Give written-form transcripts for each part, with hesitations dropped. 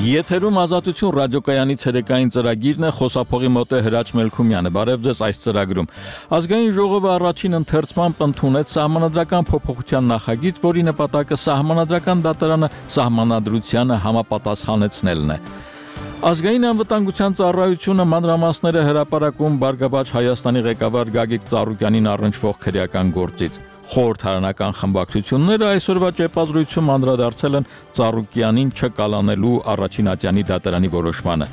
Եթերում ազատություն ռադիոկայանի ցերեկային ծրագիրն է, խոսափողի մոտ է Հրաչ Մելքումյանը։ Բարև ձեզ այս ծրագրում։ Ազգային ժողովը առաջին ընթերցմամբ ընդունեց սահմանադրական փոփոխության նախագիծ, որի նպատակը սահմանադրական դատարանը սահմանադրությանը համապատասխանեցնելն է։ Ազգային անվտանգության ծառայությունը մանրամասները հրապարակում Բարգավաճ Հայաստանի ղեկավար Գագիկ Ծառուկյանին առնչվող քրեական գործից։ Խորհրդարանական խմբակցությունները այսօրվա ճեպազրույցում անդրադարձել են Ծառուկյանին չկալանելու առաջին ատյանի դատարանի որոշմանը։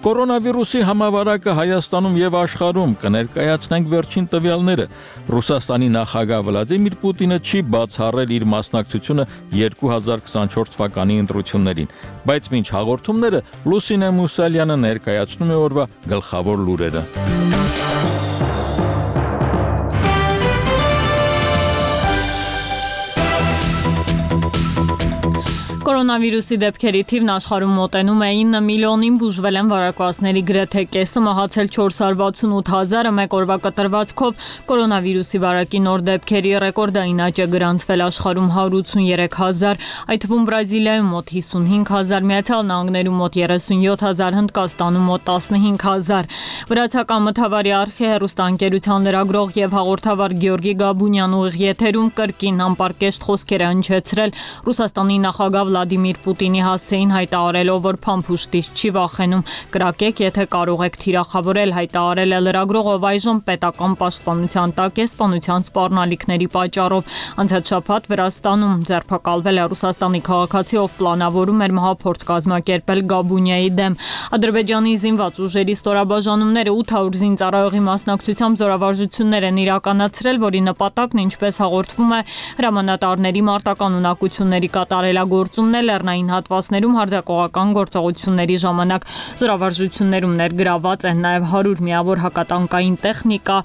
Կորոնավիրուսի համավարակը Հայաստանում եւ աշխարհում կներկայացնենք վերջին տվյալները։ Ռուսաստանի նախագահ Վլադիմիր Պուտինը չի բացառել իր մասնակցությունը 2024 թվականի ընտրություններին, բայց մինչ հաղորդումները Լուսինե Մուսալյանը ներկայացնում է օրվա գլխավոր լուրերը։ Կորոնավիրուսի դեպքերի թիվն աշխարհում մոտենում է 9 միլիոնին, բուժվել են վարակվածների գրեթե կեսը, մահացել 468,000-ը, մեկ օրվա կտրվածքով կորոնավիրուսի վարակի նոր դեպքերի ռեկորդային աճ է գրանցվել աշխարհում 183,000, այդ թվում Բրազիլիայում մոտ 55,000, Միացյալ Նահանգներում մոտ 37,000, Հնդկաստանում մոտ 15,000։ Վրացական մթավարի արխի հեռուստաընկերության լրագրող եւ հաղորդավար Գյորգի Գաբունյան ուղիղ եթերում կրկին անպարկեշտ խոսքեր է հնչեցրել Ռուսաստանի նախագահ Վլադիմիր Պուտինի հասցեին հայտարարելով, որ փամփուշտից չի վախենում, կրակեք, եթե կարող եք թիրախավորել, հայտարարել է լրագրողը, այժմ պետական պաշտպանության տակ է սպանության սպառնալիքների պատճառով։ Անցած շաբաթ Վրաստանում ձերբակալվել է Ռուսաստանի քաղաքացի, ով պլանավորում էր մահափորձ կազմակերպել Գաբունիայի դեմ։ Ադրբեջանի զինված ուժերի ստորաբաժանումները 800 զինծառայողի մասնակցությամբ զորավարժություններ են իրականացրել, որի նպատակն, ինչպես հաղորդվում է, հրամանատարների մարտական ունակությունների կատարելագործումն է լեռնային հատվածներում հարձակողական գործողությունների ժամանակ։ Զորավարժություններում ներգրաված են նաև 100 միավոր հակատանկային տեխնիկա,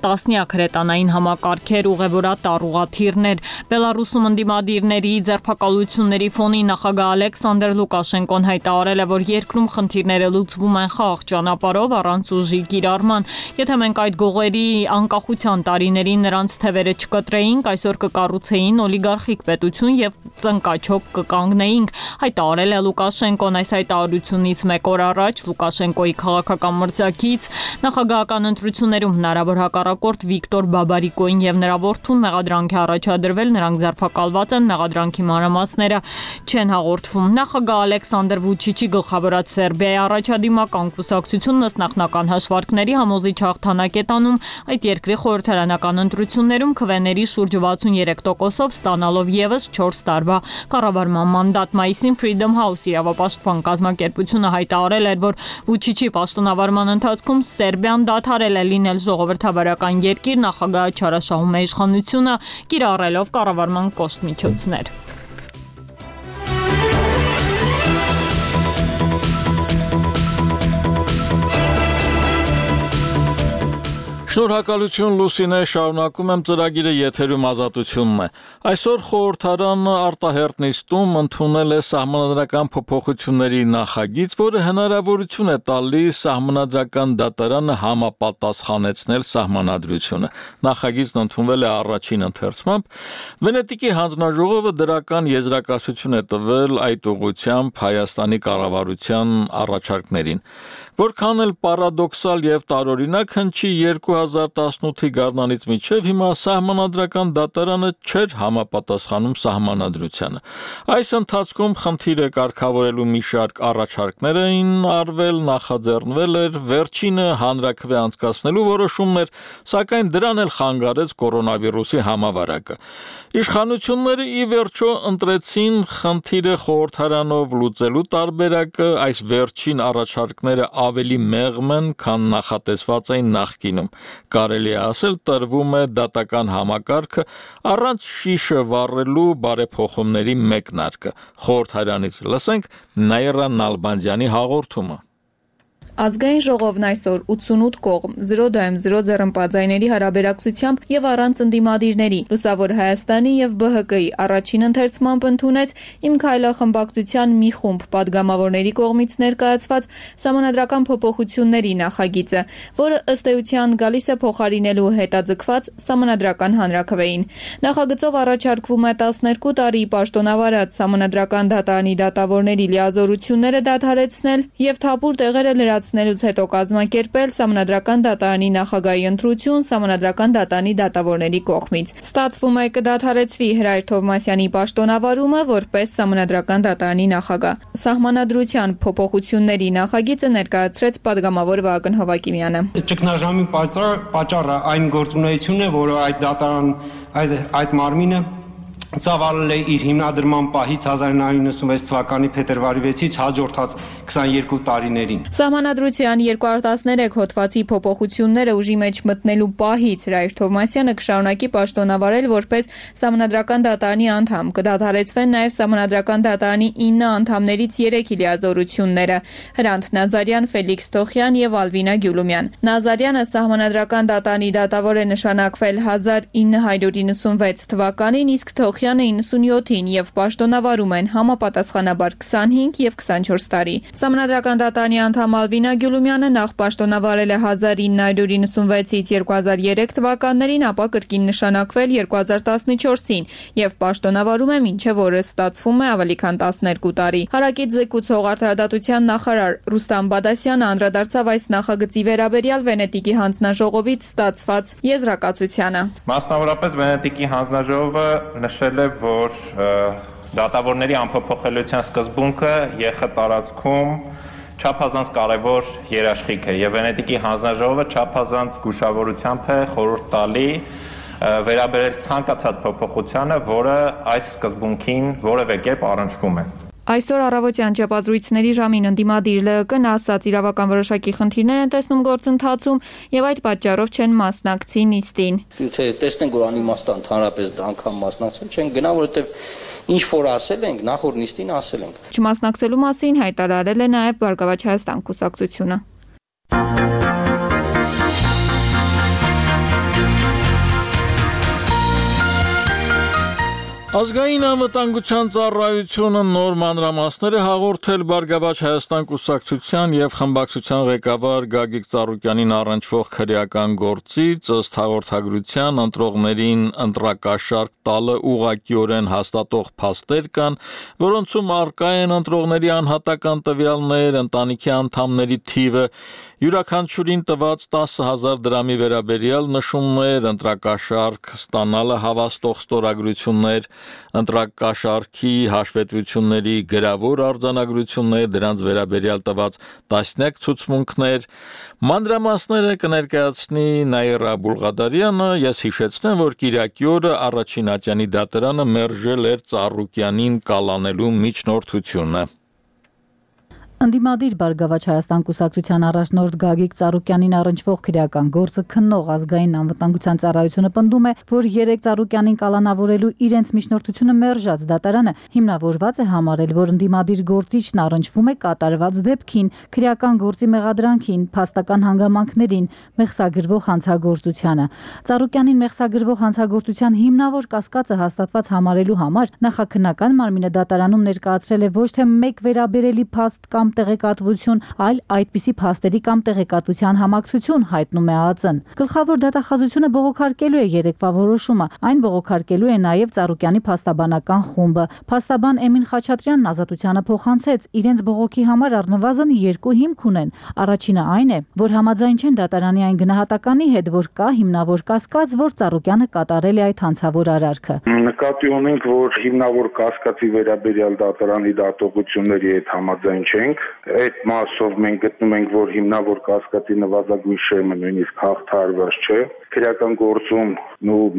տասնյակ հրետանային համակարգեր, ուղևորատար ուղղաթիռներ։ Բելարուսում ընդդիմադիրների ձերբակալությունների ֆոնին նախագահ Ալեքսանդր Լուկաշենկոն հայտարարել է, որ երկրում խնդիրները լուծվում են խաղաղ ճանապարհով առանց ուժի կիրառման։ Եթե մենք այդ գողերի անկախության տարիներին նրանց թևերը չկտրեինք, այսօր կկառուցեին օլիգարխիկ պետություն եւ ծնկաչոք կկանգնեինք, հայտարարել է Լուկաշենկոն։ Այս հայտարարությունից մեկ օր առաջ Լուկաշենկոյի քաղաքական մրցակից նախագահական ընտրություններում հնարավոր հակառակորդ Վիկտոր Բաբարիկոին եւ նրա որդուն մեղադրանք է առաջադրվել, նրանք ձերբակալված են, մեղադրանքի մանրամասները չեն հաղորդվում։ Նախագահ Ալեքսանդր Վուչիչի գլխավորած Սերբիայի առաջադիմական կուսակցությունն ըստ նախնական հաշվարկների համոզիչ հաղթանակ է տանում այդ երկրի խորհրդարանական ընտրություններում քվեների շուրջ 63%-ով ստանալով եւս 4 տարվա կառավարման մանդատ։ Մայիսին Freedom House իրավապաշտպան կազմակերպությունը հայտարարել էր, որ Վուչիչի պաշտոնավարման ընթացքում Սերբիան դադարել է լինել ժողովրդավարական երկիր, նախագահը չարաշահում է իշխանությունը, կիրառելով կառավարման կոշտ միջոցներ։ Շնորհակալություն Լուսինե, շարունակում եմ ծրագիրը, եթերում ազատությունն է։ Այսօր խորհրդարանը արտահերտ նիստում ընդունել է սահմանադրական փոփոխությունների նախագիծ, որը հնարավորություն է տալիս սահմանադրական դատարանը համապատասխանեցնել սահմանադրությունը։ Նախագիծն ընդունվել է առաջին ընթերցմամբ։ Վենետիկի հանձնաժողովը դրական եզրակացություն է տվել այդ ուղղությամբ Հայաստանի կառավարության առաջարկներին։ Որքան էլ պարադոքսալ եւ տարօրինակ հնչի 2018-ի գարնանից մինչև հիմա սահմանադրական դատարանը չէր համապատասխանում սահմանադրությանը։ Այս ընթացքում խնդիրը կարգավորելու մի շարք առաջարկներ էին արվել, նախաձեռնվել էր, վերջինը հանրաքվե անցկացնելու որոշումն էր, սակայն դրան էլ խանգարեց կորոնավիրուսի համավարակը։ Իշխանությունները ի վերջո ընտրեցին խնդիրը խորհրդարանով լուծելու տարբերակը, այս վերջին առաջարկները ավելի մեղմ են, քան նախատեսված էին նախկինում։ Կարելի է ասել, տրվում է դատական համակարգը առանց շիշը վառելու բարեփոխումների մեկնարկը։ Խորհրդարանից լսենք Նաիրա Նալբանդյանի հաղորդումը։ Ազգային ժողովն այսօր 88 կողմ 0-0 ձեռնպատձայների հարաբերակցությամբ եւ առանց ընդդիմադիրների Լուսավոր Հայաստանի եւ ԲՀԿ-ի առաջին ընթերցմամբ ընդունեց Իմ քայլախմբակցության մի խումբ падգամավորների կողմից ներկայացված սահմանադրական փոփոխությունների նախագիծը, որը ըստ էության գալիս է փոխարինելու հետաձգված սահմանադրական հանրաքվեին։ Նախագծով առաջարկվում է 12 տարի պաշտոնավարած սահմանադրական դատարանի դատավորների լիազորությունները դադարեցնել եւ թափուր տեղերը լրացնելուց հետո կազմակերպել սահմանադրական դատարանի նախագահի ընտրություն սահմանադրական դատարանի դատավորների կողմից։ Ստացվում է կդադարեցվի Հրայր Թովմասյանի պաշտոնավարումը որպես սահմանադրական դատարանի նախագահ։ Սահմանադրության փոփոխությունների նախագիծը ներկայացրեց падգամավոր Վահագն Հովակիմյանը։ Ճգնաժամի պատճառը այն գործունեությունն է, որը այդ մարմինը ծավալել է իր հիմնադրման պահից 1996 թվականի փետրվարի 6-ից հաջորդած 22 տարիներին։ Սահմանադրության 213 հոդվածի փոփոխությունները ուժի մեջ մտնելու պահից Հրայր Թովմասյանը կշարունակի պաշտոնավարել որպես սահմանադրական դատարանի անդամ։ Կդադարեցվեն նաև սահմանադրական դատարանի 9 անդամներից 3-ի լիազորությունները՝ Հրանտ Նազարյան, Ֆելիքս Թոխյան եւ Ալվինա Գյուլումյան։ Նազարյանը սահմանադրական դատարանի դատավոր է նշանակվել 1996 թվականին, իսկ Թոխյանը 97-ին եւ պաշտոնավարում են համապատասխանաբար 25 եւ 24 տարի։ Սահմանադրական դատարանի անդամ Ալվինա Գյուլումյանը նախ պաշտոնավարել է 1996-ից 2003 թվականներին, ապա կրկին նշանակվել 2014-ին եւ պաշտոնավարում է մինչեւ օրս ստացվում է ավելի քան 12 տարի։ Հարակից զեկուցող արդարադատության նախարար Ռուստամ Բադասյանը անդրադարձավ այս նախագծի վերաբերյալ Վենետիկի հանձնաժողովից ստացված եզրակացությանը։ Մասնավորապես Վենետիկի հանձնաժողովը նշել է, որ դատավորների անփոփոխելիության սկզբունքը ԵԽ տարածքում չափազանց կարևոր երաշխիք է եւ Վենետիկի հանձնաժողովը չափազանց զգուշավորությամբ է խորհուրդ տալի վերաբերել ցանկացած փոփոխությանը, որը այս սկզբունքին որևէ կերպ առնչվում է։ Այսօր առավոտյան ճեպազրույցների ժամին ընդդիմադիր ԼԸԿ-ն ասաց իրավական որոշակի խնդիրներ են տեսնում գործընթացում եւ այդ պատճառով չեն մասնակցի նիստին։ Եթե տեսնենք, որ անիմաստան ընդհանրապես անգամ մասնակցել չեն գնա, որովհետեւ ինչ որ ասել ենք, նախորդ նիստին ասել ենք։ Չմասնակցելու մասին հայտարարել է նաեւ Բարգավաճ Հայաստան կուսակցությունը։ Ազգային անվտանգության ծառայությունը նոր մանրամասներ է հաղորդել Բարգավաճ Հայաստան կուսակցության եւ խմբակցության ղեկավար Գագիկ Ծառուկյանին առնչվող քրեական գործից ըստ հաղորդագրության ընտրողներին ընտրակաշարք տալը ուղղակիորեն հաստատող փաստեր կան, որոնցում առկա են ընտրողների անհատական տվյալներ, ընտանիքի անդամների թիվը, յուրաքանչյուրին տված 10,000 դրամի վերաբերյալ նշումներ, ընտրակաշարք ստանալը հավաստող ստորագրություններ, ընտրակաշարքի հաշվետվությունների գրավոր արձանագրություններ, դրանց վերաբերյալ տված տասնյակ ցուցմունքներ, մանրամասները կներկայացնի Նաիրա Բուլղադարյանը, ես հիշեցնեմ, որ Կիրակի օրը առաջին ատյանի դատարանը մերժել էր Ծառուկյանին կալանելու միջնորդությունը։ Ընդդիմադիր Բարգավաճ Հայաստան կուսակցության առաջնորդ Գագիկ Ծառուկյանին առնչվող քրեական գործը քննող ազգային անվտանգության ծառայությունը պնդում է, որ 3 Ծառուկյանին կալանավորելու իրենց միջնորդությունը մերժած դատարանը հիմնավորված է համարել, որ ընդդիմադիր գործիչն առնչվում է կատարված դեպքին, քրեական գործի մեղադրանքին, փաստական հանգամանքներին, մեղսագրվող հանցագործությանը։ Ծառուկյանին մեղսագրվող հանցագործության հիմնավոր կասկածը հաստատված համարելու համար նախաքննական մարմինը դատարանում ներկայացրել է ոչ թե մեկ վերաբերելի փաստ կամ տեղեկատվություն, այլ այդպիսի փաստերի կամ տեղեկատվության համակցություն, հայտնում է ԱԱԾ-ն։ Գլխավոր դատախազությունը բողոքարկելու է երեկվա որոշումը, այն բողոքարկելու է նաև Ծառուկյանի փաստաբանական խումբը։ Փաստաբան Էմին Խաչատրյանն ազատությանը փոխանցեց, իրենց բողոքի համար առնվազն 2 հիմք ունեն։ Առաջինը այն է, որ համաձայն չեն դատարանի այն գնահատականի հետ, որ կա հիմնավոր կասկած, որ Ծառուկյանը կատարել է այդ հանցավոր արարքը։ Նկատի ունենք, որ հիմնավոր կասկածի վերաբերյալ դատարանի դատողությունների հետ համաձայն չենք։ Այդ մասով մենք գտնում ենք, որ հիմնավոր կասկածի նվազագույն շեմը նույնիսկ հաղթահարված չէ։ քրեական գործում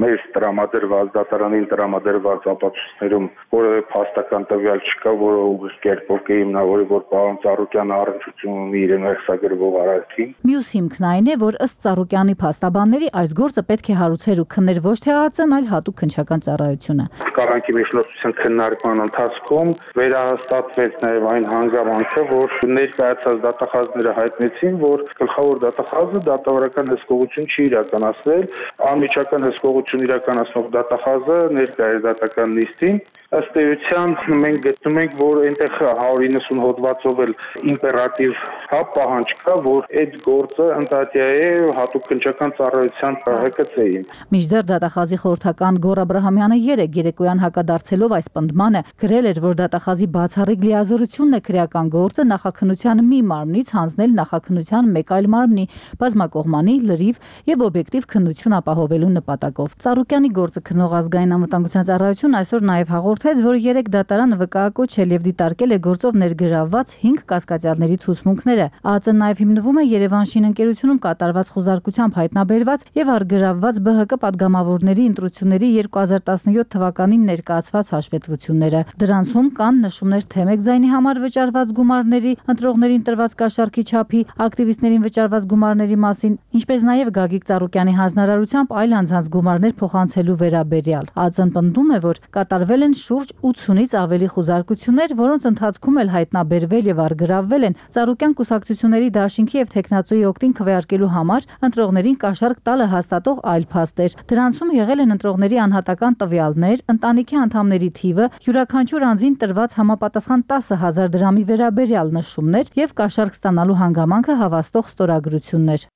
մեզ տրամադրված դատարանին տրամադրված ապացույցներում որևէ փաստական տվյալ չկա, որը ուղիղ կերպով կհիմնավորի, որ պարոն Ծառուկյանը առնչություն ունի իրեն վերցագրվող արարքին։ Մյուս հիմքն այն է, որ ըստ Ծառուկյանի փաստաբանների այս գործը պետք է հարուցեր ու քններ ոչ թե ԱԱԾ-ն, այլ հատուկ քննչական ծառայությունը։ Կառանքի միջնորդության քննարկման ընթացքում վերահաստատվեց նաև այն հանգամանքը, որ ներկայացած դատախազները հայտնեցին, որ գլխավոր դատախազը դատավարական հսկողություն չի իրականացրել, անմիջական հսկողություն իրականացնող դատախազը ներկա է դատական նիստին։ Ըստ էության մենք գտնում ենք, որ այնտեղ 190 հոդվածով էլ իմպերատիվ պահանջ կա, որ այդ գործը ընդհատյա է հատուկ քննչական ծառայության ՀԿՑ-ին։ Մինչդեռ դատախազի խորհրդական Գոռ Աբրահամյանը երեկոյան հակադարձելով այս պնդմանը գրել էր, որ դատախազի բացառիկ լիազորությունն է քրեական գործը նախաքննության մի մարմնից հանձնել նախաքննության մեկ այլ մարմնի բազմակողմանի, լրիվ եւ օբյեկտիվ քննություն ապահովելու նպատակով։ Ծառուկյանի գործը քննող ազգային անվտանգության ծառայությունն այսօր նաեւ հաղորդեց, որ 3 դատարանը վկայակոչել եւ դիտարկել է գործով ներգրավված 5 կասկածյալների ցուցմունքները։ ԱԱԾ-ն նաեւ հիմնվում է Երևան շինընկերությունում կատարված խոզարկությամբ հայտնաբերված եւ առգրավված ԲՀԿ падգամավորների ընտրությունների 2017 թվականին ներկայացված հաշվետվությունները։ Դրանցում կան նշումներ թե մեկ ձայնի համար վճարված գումարների, ընտրողներին տրված կաշառքի չափի, ակտիվիստներին վճարված գումարների մասին, ինչպես նաեւ Գագիկ Ծառուկյանի հանձնարարությամբ այլ անձանց գումարներ փոխանցելու վերաբերյալ։ ԱԱԾ-ն պնդում է, որ կատարվել են շուրջ 80-ից ավելի խոզարկություններ, որոնց ընթացքում էլ հայտնաբերվել եւ առգրավվել են Ծառուկյան կուսակցությունների դաշինքի եւ թեկնածուի օգտին քվեարկելու համար ընտրողներին կաշառք տալը հաստատող այլ փաստեր։ Դրանցում եղել են ընտրողների անհատական տվյալներ, ընտանիքի անդամների թիվը, յուրաքանչյուր անձին տրված համապատասխան 10,000 դրամի վերաբերյալ նշումներ եւ կաշառք ստանալու հանգամանքը հավաստող ստորագրություններ։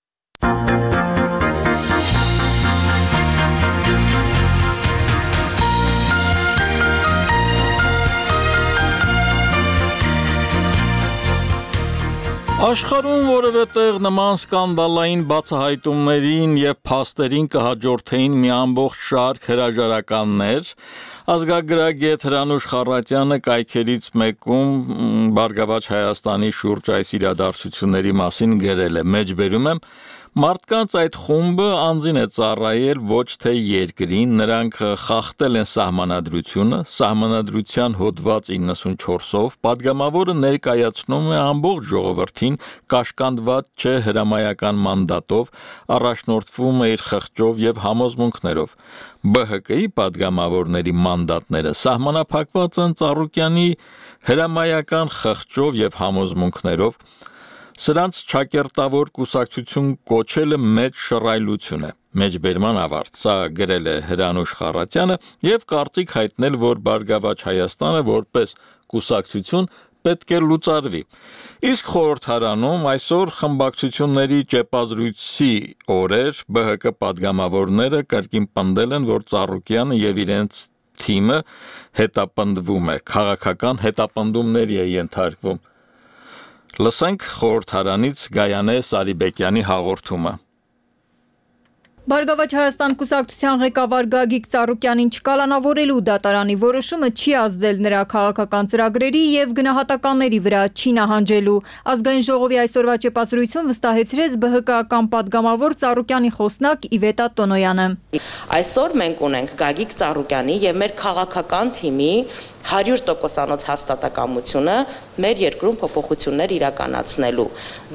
Աշխարհում որևէ տեղ նման սկանդալային բացահայտումներին եւ փաստերին կհաջորդեին մի ամբողջ շարք հրաժարականներ, ազգագրագետ Հրանուշ Խառատյանը կայքերից մեկում Բարգավաճ Հայաստանի շուրջ այս իրադարձությունների մասին գրել է. մեջբերում եմ Մարդկանց այդ խումբը անձին է ծառայել ոչ թե երկրին, նրանք խախտել են սահմանադրությունը, սահմանադրության հոդված 94-ով, падգամավորը ներկայացնում է ամբողջ ժողովրդին կաշկանդված չէ հրամայական մանդատով, առաջնորդվում է իր խղճով եւ համոզմունքներով։ ԲՀԿ-ի падգամավորների մանդատները սահմանափակված են Ծառուկյանի հրամայական խղճով եւ համոզմունքներով։ Սրանց ճակերտավոր կուսակցություն կոչելը մեծ շռայլություն է։ Մեջբերման ավարտ։ Սա գրել է Հրանուշ Խառատյանը եւ կարծիք հայտնել, որ Բարգավաճ Հայաստանը որպես կուսակցություն պետք է լուծարվի։ Իսկ խորհրդարանում այսօր խմբակցությունների ճեպազրույցի օրեր ԲՀԿ падգամավորները կրկին պնդել են, որ Ծառուկյանը եւ իրենց թիմը հետապնդվում է, քաղաքական հետապնդումների է ենթարկվում։ Լսենք խորհրդարանից Գայանե Սարիբեկյանի հաղորդումը։ Բարգավաճ Հայաստան կուսակցության ղեկավար Գագիկ Ծառուկյանին չկալանավորելու դատարանի որոշումը չի ազդել նրա քաղաքական ծրագրերի եւ գնահատականների վրա, չի նահանջելու։ Ազգային ժողովի այսօրվա ճեպազրույցում վստահեցրեց ԲՀԿ-ական падգամավոր Ծառուկյանի խոսնակ Իվետա Տոնոյանը։ Այսօր մենք ունենք Գագիկ Ծառուկյանի եւ մեր քաղաքական թիմի 100% հաստատակամությունը մեր երկրում փոփոխություններ իրականացնելու։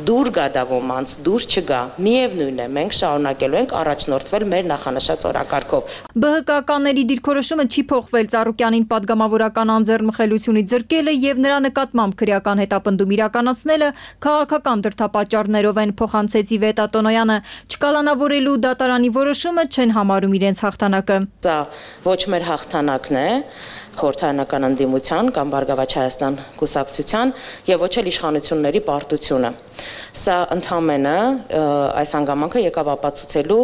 Դուր գա դա ոմանց, դուր չգա, միևնույն է, մենք շարունակելու ենք առաջնորդվել մեր նախանշած օրակարգով։ ԲՀԿ-ականների դիրքորոշումը չի փոխվել Ծառուկյանին падգամավորական անձեռնմխելությունից զրկելը եւ նրա նկատմամբ քրեական հետապնդում իրականացնելը քաղաքական դրդապատճառներով են, փոխանցեց Իվետա Տոնոյանը։ Չկալանավորելու դատարանի որոշումը չեն համարում իրենց հաղթանակը։ Սա ոչ մեր հաղթանակն է, խորհրդարանական ընդդիմության կամ Բարգավաճ Հայաստան կուսակցության եւ ոչ էլ իշխանությունների պարտությունը։ Սա ընդհանրապես այս հանգամանքը եկավ ապացուցելու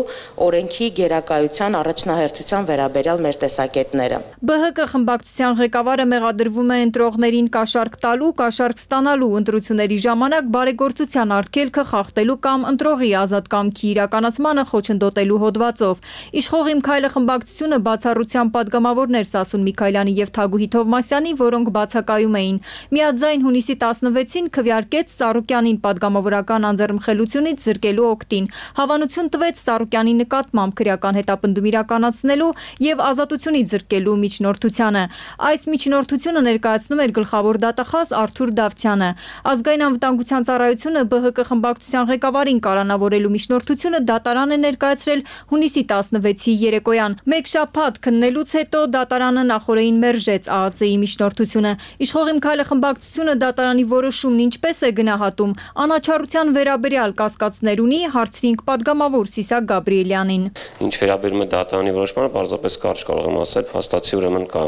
օրենքի գերակայության առաջնահերթության վերաբերյալ մեր տեսակետները։ ԲՀԿ խմբակցության ղեկավարը մեղադրվում է ընտրողներին կաշառք տալու, կաշառք ստանալու, ընտրությունների ժամանակ բարեգործության արգելքը խախտելու կամ ընտրողի ազատ կամքի իրականացմանը խոչընդոտելու հոդվածով։ Իշխող Իմ քայլը խմբակցությունը բացառությամբ падգամավորներ Սասուն Միքայելյանի եւ եւ Թագուհի Թովմասյանի, որոնք բացակայում էին։ Միաձայն հունիսի 16-ին քվեարկեց Սարոկյանին պատգամավորական անձեռնմխելությունից զրկելու օգտին։ Հավանություն տվեց Սարոկյանի նկատմամբ քրեական հետապնդում իրականացնելու եւ ազատությունից զրկելու միջնորդությանը։ Այս միջնորդությունը ներկայացնում էր գլխավոր դատախազ Արթուր Դավթյանը։ Ազգային անվտանգության ծառայությունը ԲՀԿ խմբակցության ղեկավարին կալանավորելու միջնորդությունը դատարան է ներկայացրել հունիսի 16-ի երեկոյան։ Մեկ շաբաթ քննելուց հետո դատարանը նախօրեին մերժեց ԱԱԾ-ի միջնորդությունը։ Իշխող Իմ քայլը խմբակցությունը դատարանի որոշումն ինչպես է գնահատում, անաչառության վերաբերյալ կասկածներ ունի, հարցրինք պատգամավոր Սիսակ Գաբրիելյանին։ Ինչ վերաբերում է դատարանի որոշմանը, պարզապես կարճ կարող եմ ասել, փաստացի ուրեմն կա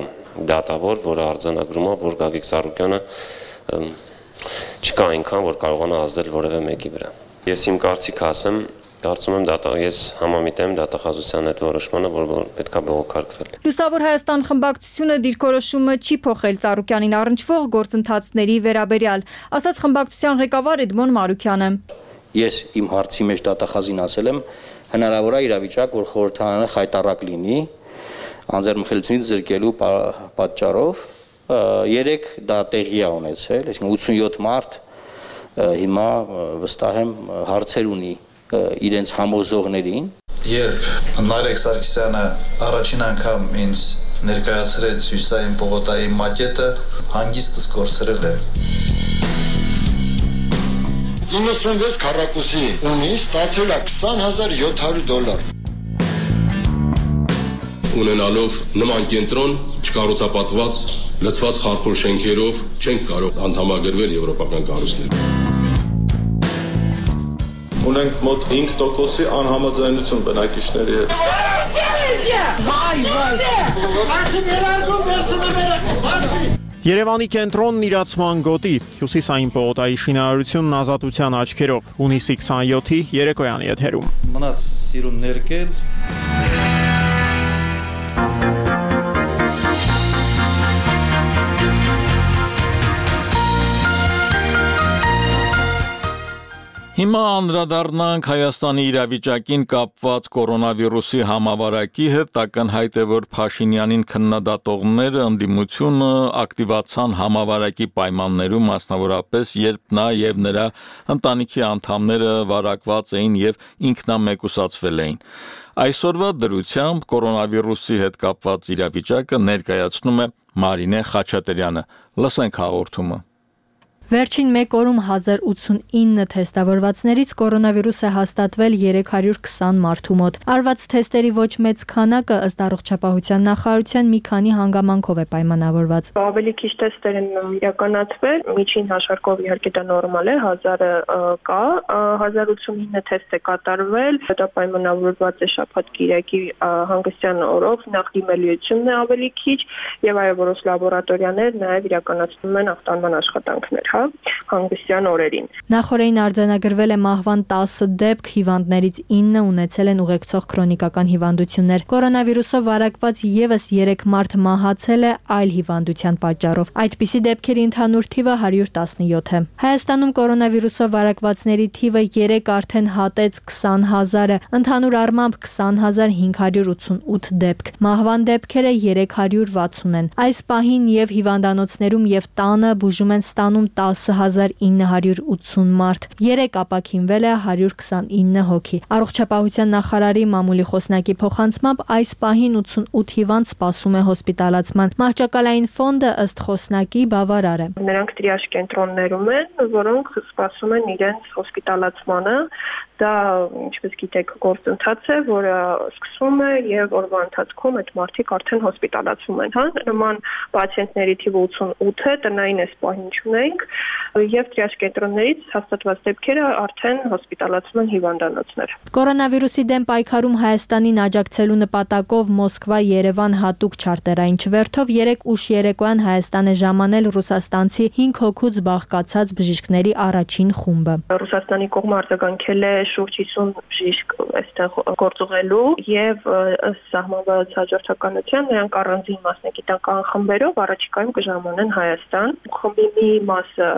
դատավոր, որը արձանագրում է, որ Գագիկ Ծառուկյանը չկա այնքան, որ կարողանա ազդել որևէ մեկի վրա։ Ես իմ կարծիքը ասեմ, կարծում եմ ես համամիտեմ դատախազության այդ որոշմանը, որ պետք է բողոքարկվել։ Լուսավոր Հայաստան խմբակցությունը դիրքորոշումը չի փոխել Ծառուկյանին առնչվող գործընթացների վերաբերյալ, ասաց խմբակցության ղեկավար Էդմոն Մարուքյանը։ Ես իմ հարցի մեջ դատախազին ասել եմ, հնարավոր է իրավիճակ, որ խորհրդարանը խայտառակ լինի անձեռնմխելությունից զրկելու պատճառով։ 3 դա տեղի է ունեցել, այսինքն 87 մարդ հիմա վստահ եմ հարցեր ունի իրենց համոզողներին։ Երբ Նարեկ Սարգսյանը առաջին անգամ ինձ ներկայացրեց Հյուսիսային պողոտայի մակետը, հանգիստս կորցրել եմ։ 96 քառակուսի ունի, ստացել է $20,700։ Ունենալով նման կենտրոն չկառուցապատված, լցված խարխուլ շենքերով չենք կարող անդամագրվել եվրոպական կառույցներ։ Ունենք մոտ 5%-ի անհամաձայնություն բնակիչների հետ։ Երևանի կենտրոնն իրացման գոտի, Հյուսիսային պողոտայի շինարարությունն ազատության աչքերով, հունիսի 27-ի երեկոյան եթերում։ Մնաց սիրուն ներկել։ Հիմա անդրադառնանք Հայաստանի իրավիճակին կապված կորոնավիրուսի համավարակի հետ, ակնհայտ է, որ Փաշինյանին քննադատողները ընդդիմությունը ակտիվացան համավարակի պայմաններում, մասնավորապես երբ նա եւ նրա ընտանիքի անդամները վարակված էին եւ ինքնամեկուսացվել էին։ Այսօրվա դրությամբ կորոնավիրուսի հետ կապված իրավիճակը ներկայացնում է Մարինե Խաչատրյանը։ Լսենք հաղորդումը։ Վերջին մեկ օրում 1089 թեստավորվածներից կորոնավիրուս է հաստատվել 320 մարդու մոտ։ Արված թեստերի ոչ մեծ քանակը ըստ առողջապահության նախարարության մի քանի հանգամանքով է պայմանավորված։ Ավելի քիչ թեստեր են իրականացվել, միջին հաշվարկով իհարկե դա նորմալ է, 1000-ը կա, 1089 թեստ է կատարվել, դա պայմանավորված է շաբաթ-կիրակի հանգստյան օրով, նախ դիմելիությունն է ավելի քիչ եւ այո, որոշ լաբորատորիաներ նաեւ իրականացնում են ախտանման աշխատանքներ։ Հանգստյան օրերին։ Նախորդին արձանագրվել է մահվան 10 դեպք, հիվանդներից 9 ունեցել են ուղեկցող քրոնիկական հիվանդություններ։ Կորոնավիրուսով վարակված եւս 3 մարդ մահացել է այլ հիվանդության պատճառով։ Այդպիսի դեպքերի ընդհանուր թիվը 117 է։ Հայաստանում կորոնավիրուսով վարակվածների թիվը 3 արդեն հատեց 20,000-ը, ընդհանուր առմամբ 20,588 դեպք։ Մահվան դեպքերը 360 են։ Այս պահին եւ հիվանդանոցներում եւ տանը բուժում են ստանում 10,980 մարդ, 3 ապաքինվել է 129 հոգի։ Առողջապահության նախարարի մամուլի խոսնակի փոխանցմամբ այս պահին 88 հիվանդ սպասում է հոսպիտալացման։ Մահճակալային ֆոնդը ըստ խոսնակի բավարար է։ Նրանք տրիաժ կենտրոններում են, որոնք սպասում են իրենց հոսպիտալացմանը։ Դա, ինչպես գիտեք, գործընթաց է, որը սկսվում է եւ օրվա ընթացքում այդ մարդիկ արդեն հոսպիտալացվում են, հա։ Նման պացիենտների թիվը 88 է, տնային էսպահին ունենք եւ տրիաժ կենտրոններից հաստատված դեպքերը արդեն հոսպիտալացում են հիվանդանոցներ։ Կորոնավիրուսի դեմ պայքարում Հայաստանին աջակցելու նպատակով Մոսկվա-Երևան հատուկ չարտերային չվերթով 3 ուշ երեկոյան Հայաստան է ժամանել ռուսաստանցի 5 հոգուց բաղկացած բժիշկների առաջին խումբը։ Ռուսաստանի կողմը արձագանքել է շուրջ 50 բժիշկ այստեղ գործուղելու եւ ըստ սահմանված հաջորդականության նրանք առանձին մասնագիտական խմբերով առաջիկայում կժամանեն Հայաստան։ Խմբի մի մասը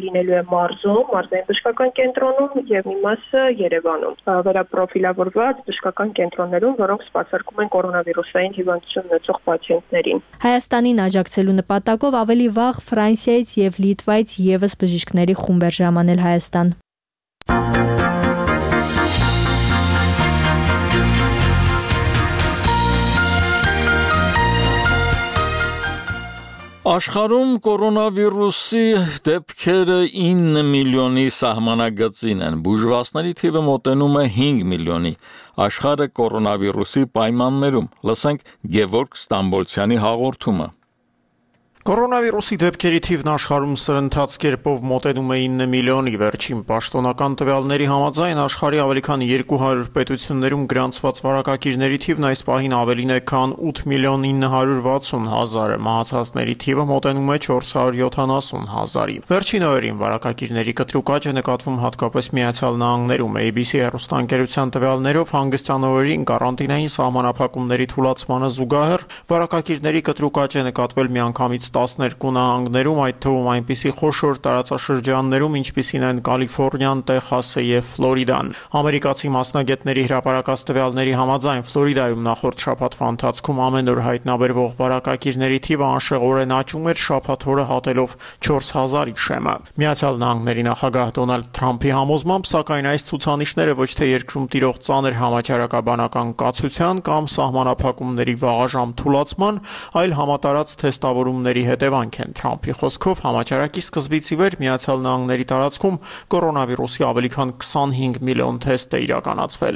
լինելու է մարզում, մարզային բժշկական կենտրոնում եւ մի մասը Երևանում։ Վերապրոֆիլավորված բժշկական կենտրոններում, որոնք սպասարկում են կորոնավիրուսային հիվանդություն ունեցող պացիենտներին։ Հայաստանին աջակցելու նպատակով ավելի վաղ Ֆրանսիայից եւ Լիտվայից եւս բժիշկների խումբ էր ժամանել Հայաստան։ Աշխարհում կորոնավիրուսի դեպքերը 9 միլիոնի սահմանագծին են, բուժվածների թիվը մոտենում է 5 միլիոնի, աշխարհը կորոնավիրուսի պայմաններում, լսենք Գևորգ Ստամբոլցյանի հաղորդումը։ Կորոնավիրուսի դեպքերի թիվն աշխարհում սրընթաց կերպով մոտենում է 9 միլիոնի, վերջին պաշտոնական տվյալների համաձայն աշխարհի ավելի քան 200 պետություններում գրանցված վարակակիրների թիվն այս պահին ավելին է, քան 8 միլիոն 960 հազարը, մահացածների թիվը մոտենում է 470 հազարի։ Վերջին օրերին վարակակիրների կտրուկ աճ է նկատվում հատկապես Միացյալ Նահանգներում։ ABC հեռուստաընկերության տվյալներով հանգստյան օրերին կարանտինային սահմանափակումների թուլացմանը զուգահեռ վարակակիրների կտրուկ աճ է նկատվել միանգամից 12 նահանգներում, այդ թվում այնպիսի խոշոր տարածաշրջաններում, ինչպիսին են Կալիֆոռնիան, Տեխասը եւ Ֆլորիդան։ Ամերիկացի մասնագետների հրապարակած տվյալների համաձայն Ֆլորիդայում նախորդ շաբաթվա ընթացքում ամեն օր հայտնաբերվող վարակակիրների թիվը անշեղորեն աճում էր, շաբաթ օրը հատելով 4000-ի շեմը։ Միացյալ Նահանգների նախագահ Դոնալդ Թրամփի համոզմամբ, սակայն այս ցուցանիշները ոչ թե երկրում տիրող ծանր համաճարակաբանական կացության կամ սահմանափակումների վաղաժամ թուլացման, այլ համատարած թեստավորումների հետևանք են։ Թրամփի խոսքով համաճարակի սկզբից ի վեր Միացյալ Նահանգների տարածքում կորոնավիրուսի ավելի քան 25 միլիոն թեստ է իրականացվել։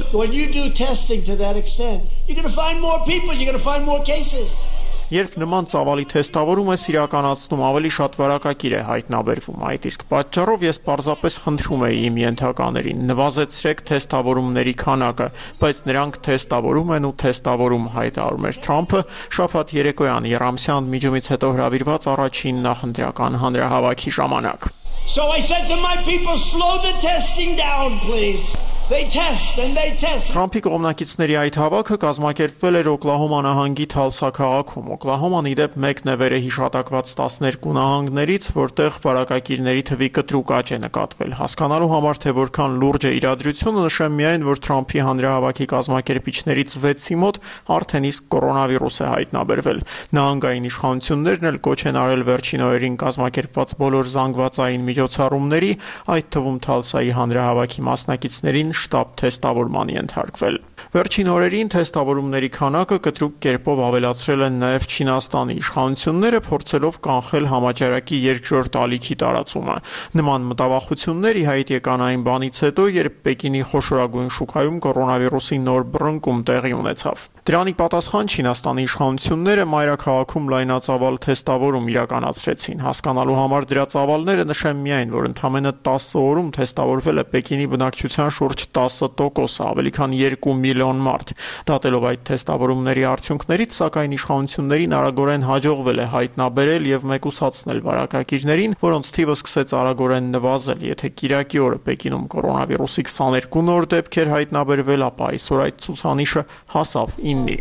Երբ նման ծավալի թեստավորում ես իրականացնում, ավելի շատ վարակակիր է հայտնաբերվում։ Այդ իսկ պատճառով ես պարզապես խնդրում էի իմ ենթականերին, նվազեցրեք թեստավորումների քանակը, բայց նրանք թեստավորում են ու թեստավորում, հայտարարում էր Թրամփը շաբաթ երեկոյան Եռամսյան միջումից հետո հրավիրված առաջին նախընտրական հանրահավաքի ժամանակ։ So I said to my people, slow the testing down, please. They test and they test. Թրամփի կողմնակիցների այդ հավաքը կազմակերպվել էր Օկլահոմա նահանգի Թալսա քաղաքում։ Օկլահոման ի դեպ մեկն է վեր է հիշատակված 12 նահանգներից, որտեղ վարակակիրների թվի կտրուկ աճ է նկատվել։ Հասկանալու համար, թե որքան լուրջ է իրադրությունը, նշեմ միայն, որ Թրամփի հանրահավաքի կազմակերպիչներից 6-ի մոտ արդեն իսկ կորոնավիրուս է հայտնաբերվել։ Նահանգային իշխանություններն էլ կոչ են արել վերջին օրերին կազմակերպված բոլոր զանգվածային միջոցառումների, այդ թվում Թալսայի հանրահավաքի մասնակիցներին շտապ թեստավորման ենթարկվել։ Վերջին օրերին թեստավորումների քանակը կտրուկ կերպով ավելացրել են նաև Չինաստանի իշխանությունները, փորձելով կանխել համաճարակի երկրորդ ալիքի տարածումը։ Նման մտավախություններ ի հայտ եկան այն բանից հետո, երբ Պեկինի խոշորագույն շուկայում կորոնավիրուսի նոր բռնկում տեղի ունեցավ։ Դրանի պատասխան Չինաստանի իշխանությունները մայրաքաղաքում լայնածավալ թեստավորում իրականացրեցին։ Հասկանալու համար դրա ծավալները նշեմ միայն, որ ընդամենը 10 օրում թեստավորվել է Պեկինի բնակչության շուրջ 10%, ավելի քան 2 միլիոն մարդ։ Դատելով այդ թեստավորումների արդյունքներից, սակայն իշխանություններին արագորեն հաջողվել է հայտնաբերել եւ մեկուսացնել վարակակիրներին, որոնց թիվը սկսեց արագորեն նվազել։ Եթե կիրակի օրը Պեկինում կորոնավիրուսի 22 նոր դեպք էր հայտնաբերվել, ապա այսօր այդ ցուցանիշը հասավ 9-ի։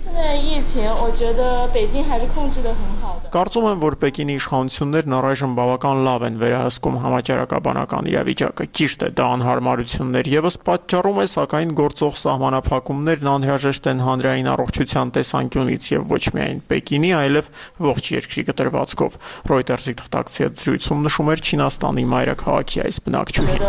Կարծում եմ, որ Պեկինի իշխանություններն առայժմ բավական լավ են վերահսկում համաճարակաբանական իրավիճակը։ Ճիշտ է, դա անհարմարություններ եւս պատճառում է, սակայն գործող սահմանափակումներն անհրաժեշտ են հանրային առողջության տեսանկյունից եւ ոչ միայն Պեկինի, այլև ողջ երկրի կտրվածքով։ Reuters-ի թղթակցի հետ զրույցում նշում էր Չինաստանի մայրաքաղաքի այս բնակչուհին։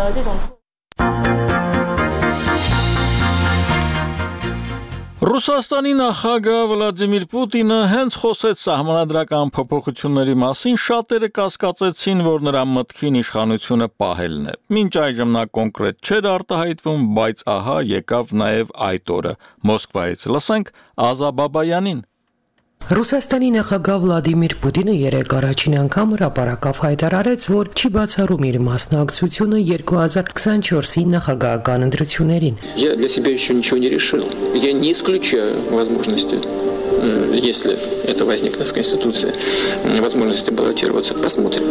Ռուսաստանի նախագահ Վլադիմիր Պուտինը հենց խոսեց սահմանադրական փոփոխությունների մասին, շատերը կասկածեցին, որ նրա մտքին իշխանությունը պահելն է։ Մինչ այժմ նա կոնկրետ չէր արտահայտվում, բայց ահա եկավ նաև այդ օրը։ Մոսկվայից լսենք Ազա Բաբայանին։ Ռուսաստանի նախագահ Վլադիմիր Պուտինը երեկ առաջին անգամ հրապարակավ հայտարարեց, որ չի բացառում իր մասնակցությունը 2024-ի նախագահական ընտրություններին։ Я для себя еще ничего не решил. Я не исключаю возможности, если это возникнет в Конституции, возможности баллотироваться. Посмотрим.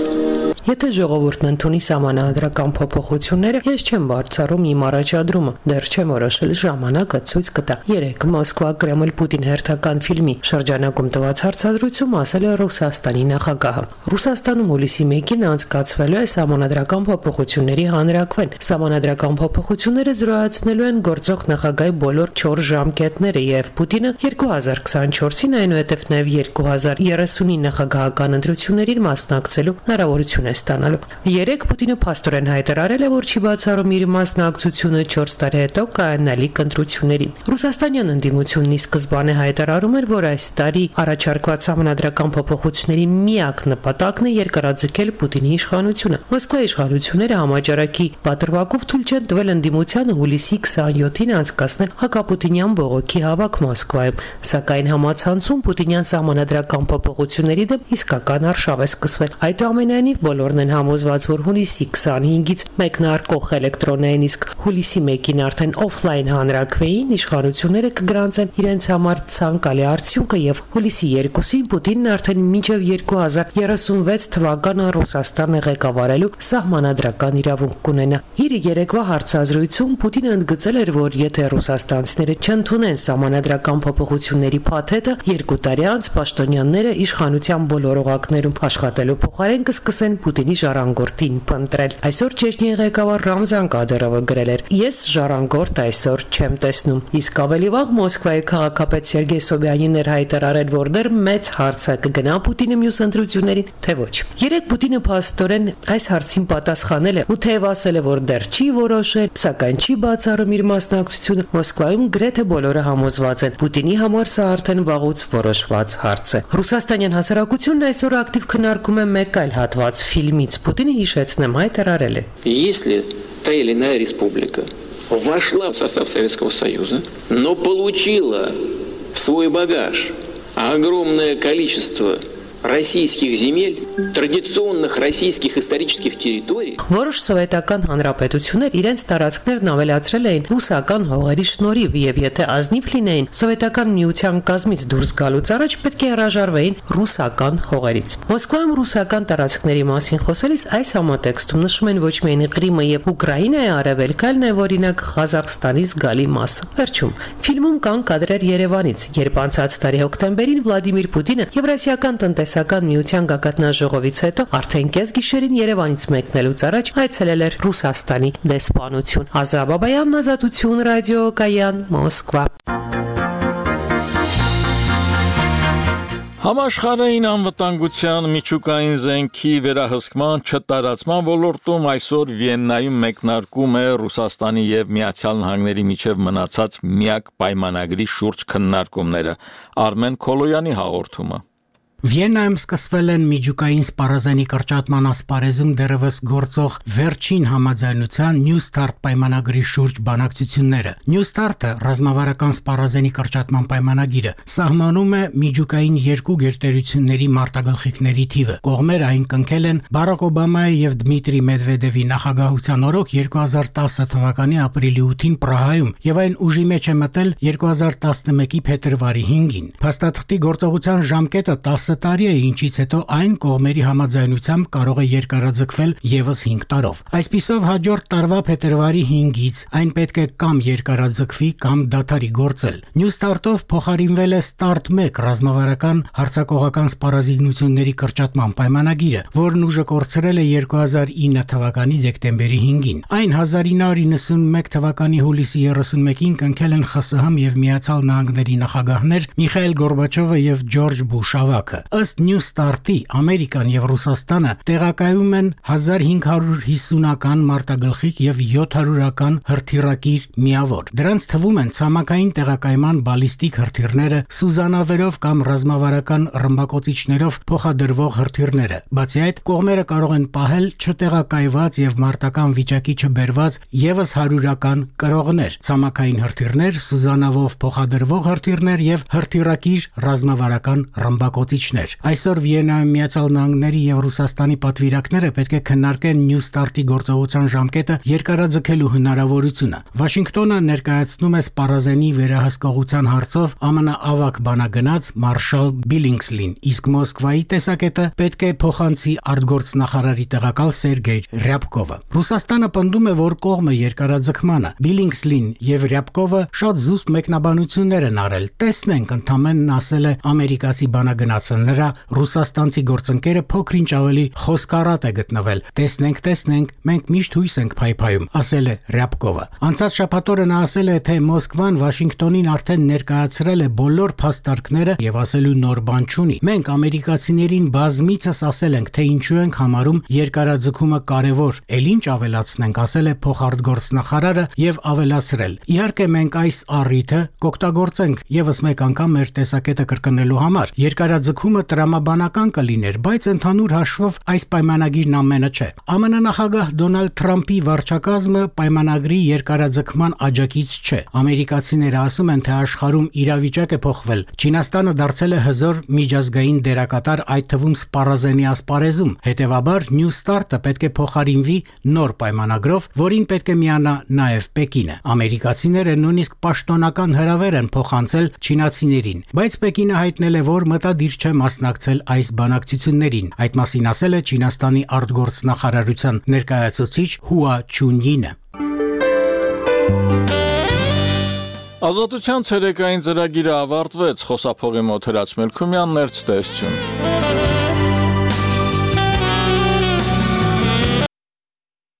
Եթե ժողովուրդն ընդունի սահմանադրական փոփոխությունները, ես չեմ բարձրում իմ առաջադրումը, դեռ չեմ որոշել, ժամանակը ցույց կտա։ 3 Մոսկվա Կրեմլ Պուտին հերթական ֆիլմի շրջանակում տված հարցազրույցում ասել է Ռուսաստանի նախագահը։ Ռուսաստանում հուլիսի 1-ին անցկացվելու է սահմանադրական փոփոխությունների հանրաքվեն։ Սահմանադրական փոփոխությունները զրոյացնելու են գործող նախագահի բոլոր 4 ժամկետները եւ Պուտինը 2024-ին, այնուհետև նաեւ 2030-ի նախագահական ընտրություններին մասնակցելու հնարավորություն է ստանալու։ 3 Պուտինը փաստորեն հայտարարել է, որ չի բացառում իր մասնակցությունը 4 տարի հետո կայանալիք ընտրություններին։ Ռուսաստանյան ընդդիմությունն ի սկզբանե հայտարարում էր, որ այս տարի առաջարկված սահմանադրական փոփոխությունների միակ նպատակն է երկարաձգել Պուտինի իշխանությունը։ Մոսկվայի իշխանությունները համաճարակի պատրվակով թույլ չեն տվել ընդդիմությանը հուլիսի 27-ին անցկացնել հակապուտինյան բողոքի հավաք Մոսկվայում, սակայն համացանցում պուտինյան սահմանադրական փոփոխությունների դեմ իսկական արշավ է սկսվել։ Այնուամենայնիվ բոլորն են համոզված, որ հուլիսի 25-ից մեկնարկող էլեկտրոնային, իսկ հուլիսի 1-ին արդեն օֆլայն հանրաքվեին իշխանությունները կգրանցեն իրենց համար ցանկալի արդյունքը եւ հուլիսի 2-ին Պուտինն արդեն մինչեւ 2036 թվականը Ռուսաստանը ղեկավարելու սահմանադրական իրավունք կունենա։ Իր երեկվա հարցազրույցում Պուտինը ընդգծել էր, որ եթե ռուսաստանցիները չընդունեն սահմանադրական փոփոխությունների փաթեթը, 2 տարի անց պաշտոնյաները իշխանության բոլոր օղակներում աշխատելու փոխարեն կսկսեն Պուտինի ժառանգորդին փնտրել։ Այսօր Չեչնիայի ղեկավար Ռամզան Կադիրովը գրել էր. «Ես ժառանգորդ այսօր չեմ տեսնում»։ Իսկ ավելի վաղ Մոսկվայի քաղաքապետ Սերգեյ Սոբյանին էր հայտարարել, որ դեռ մեծ հարց է կգնա Պուտինը մյուս ընտրություններին, թե ոչ։ 3 Պուտինը փաստորեն այս հարցին պատասխանել է ու թեև ասել է, որ դեռ չի որոշել, սակայն չի բացառում իր մասնակցությունը, Մոսկվայում գրեթե բոլորը համոզված են, Պուտինի համար սա արդեն վաղուց որոշված հարց է։ Ռուսաստանյան հասարակությունն այսօր ակտիվ քննարկում է մեկ այլ հատված ֆիլմից։ Պուտինը, հիշեցնեմ, հայտարարել է. Если та или иная республика вошла в состав Советского Союза, но получила в свой багаж огромное количество российских земель, традиционных российских исторических территорий. Որոշ սովետական հանրապետություններ իրենց տարածքներն ավելացրել էին ռուսական հողերի շնորհիվ եւ եթե ազնիվ լինեին սովետական միության կազմից դուրս գալուց առաջ պետք է հրաժարվեին ռուսական հողերից։ Մոսկվայում ռուսական տարածքների մասին խոսելիս այս համատեքստում նշում են ոչ միայն Կրիմը եւ Ուկրաինայի արևելքը, այլ նաեւ օրինակ Ղազախստանի զգալի մասը։ Վերջում ֆիլմում կան կադրեր Երևանից, երբ անցած տարի հոկտեմբերին Վլադիմիր Պուտինը Եվրասիական տնտեսական միության գագաթնաժողովից հետո արդեն կեսգիշերին Երևանից մեկնելուց առաջ այցելել էր Ռուսաստանի դեսպանություն։ Ազրա Բաբայան, Ազատություն ռադիո, Կայան, Մոսկվա։ Համաշխարհային անվտանգության միջուկային զենքի վերահսկման չտարածման ոլորտում այսօր Վիեննայում մեկնարկում է Ռուսաստանի եւ Միացյալ Նահանգների միջև մնացած միակ պայմանագրի շուրջ քննարկումները։ Արմեն Քոլոյանի հաղորդումը։ Վիեննայում սկսվել են միջուկային սպառազանի կրճատման ասպարեզում դեռևս գործող վերջին համաձայնության New Start պայմանագրի շուրջ բանակցությունները։ New Start-ը ռազմավարական սպառազանի կրճատման պայմանագիրը սահմանում է միջուկային երկու գերտերությունների մարտագլխիկների թիվը։ Կողմերը այն կնքել են Բարակ Օբամայի եւ Դմիտրի Մեդվեդևի նախագահության օրոք 2010 թվականի ապրիլի 8-ին Պրահայում եւ այն ուժի մեջ է մտել 2011-ի փետրվարի 5-ին։ Փաստաթղթի գործողության ժամկետը 10 տարի է, ինչից հետո այն կողմերի համաձայնությամբ կարող է երկարաձգվել եւս 5 տարով։ Այսպիսով հաջորդ տարվա փետրվարի 5-ից այն պետք է կամ երկարաձգվի կամ դադարի գործել։ New Start-ով փոխարինվել է Start 1 ռազմավարական հարձակողական սպառազինությունների կրճատման պայմանագիրը, որն ուժը կորցրել է 2009 թվականի դեկտեմբերի 5-ին։ Այն 1991 թվականի հուլիսի 31-ին կնքել են ԽՍՀՄ եւ Միացյալ Նահանգների նախագահներ Միխայել Գորբաչովը եւ Ջորջ Բուշ ավագը։ Ըստ New Start-ի Ամերիկան եւ Ռուսաստանը տեղակայում են 1550-ական մարտագլխիկ եւ 700-ական հրթիռակիր միավոր։ Դրանց թվում են ցամաքային տեղակայման բալիստիկ հրթիռները, սուզանավերով կամ ռազմավարական ռմբակոծիչներով փոխադրվող հրթիռները։ Բացի այդ, կողմերը կարող են պահել չտեղակայված եւ մարտական վիճակի չբերված եւս 100-ական կրողներ, ցամաքային հրթիռներ, սուզանավով փոխադրվող հրթիռներ եւ հրթիռակիր ռազմավարական ռմբակոծիչներ։ բնակիչներ։ Այսօր Վիեննայում Միացյալ Նահանգների եւ Ռուսաստանի պատվիրակները պետք է քննարկեն New Start-ի գործողության ժամկետը երկարաձգելու հնարավորությունը։ Վաշինգտոնը ներկայացնում է սպառազենի վերահսկողության հարցով ԱՄՆ ավագ բանագնաց Մարշալ Բիլինգսլին, իսկ Մոսկվայի տեսակետը պետք է փոխանցի արտգործնախարարի տեղակալ Սերգեյ Ռյաբկովը։ Ռուսաստանը պնդում է, որ կողմը երկարաձգմանը։ Բիլինգսլին եւ Ռյաբկովը շատ զուսպ մեկնաբանություններ են արել։ Տեսնենք, ընդամենն ասել է ամերիկացի բանագնացը, նրա ռուսաստանցի գործընկերը փոքրինչ ավելի խոսքառատ է գտնվել։ Տեսնենք, մենք միշտ հույս ենք փայփայում, ասել է Ռյաբկովը։ Անցած շաբաթ նա ասել է, թե Մոսկվան Վաշինգտոնին արդեն ներկայացրել է բոլոր փաստարկները եւ ասելու նոր բան չունի։ Մենք ամերիկացիներին բազմիցս ասել ենք, թե ինչու ենք համարում երկարաձգումը կարևոր, ել ինչ ավելացնենք, ասել է փոխարտգործնախարարը եւ ավելացրել. Իհարկե մենք այս առիթը կօգտագործենք եւս մեկ անգամ մեր տեսակետը կրկնելու համար։ Երկարաձգումը տրամաբանական կլիներ, բայց ընդհանուր հաշվով այս պայմանագիրն ամենը չէ։ ԱՄՆ նախագահ Դոնալդ Թրամփի վարչակազմը պայմանագրի երկարաձգման աջակից չէ։ Ամերիկացիները ասում են, թե աշխարհում իրավիճակ է փոխվել։ Չինաստանը դարձել է հզոր միջազգային դերակատար, այդ թվում սպառազենի ասպարեզում։ Հետևաբար New Start-ը պետք է փոխարինվի նոր պայմանագրով, որին պետք է միանա նաև Պեկինը։ Ամերիկացիները նույնիսկ պաշտոնական հրավեր են փոխանցել չինացիներին, բայց Պեկինը հայտնել է, որ մտադիր չէ մասնակցել այս բանակցություններին։ Այդ մասին ասել է Չինաստանի արտգործնախարարության ներկայացուցիչ Հուա Չունյինը։ Ազատության ցերեկային ծրագիրը ավարտվեց, խոսափողի մոտ Հրաչ Մելքումյանն, ներկայացություն։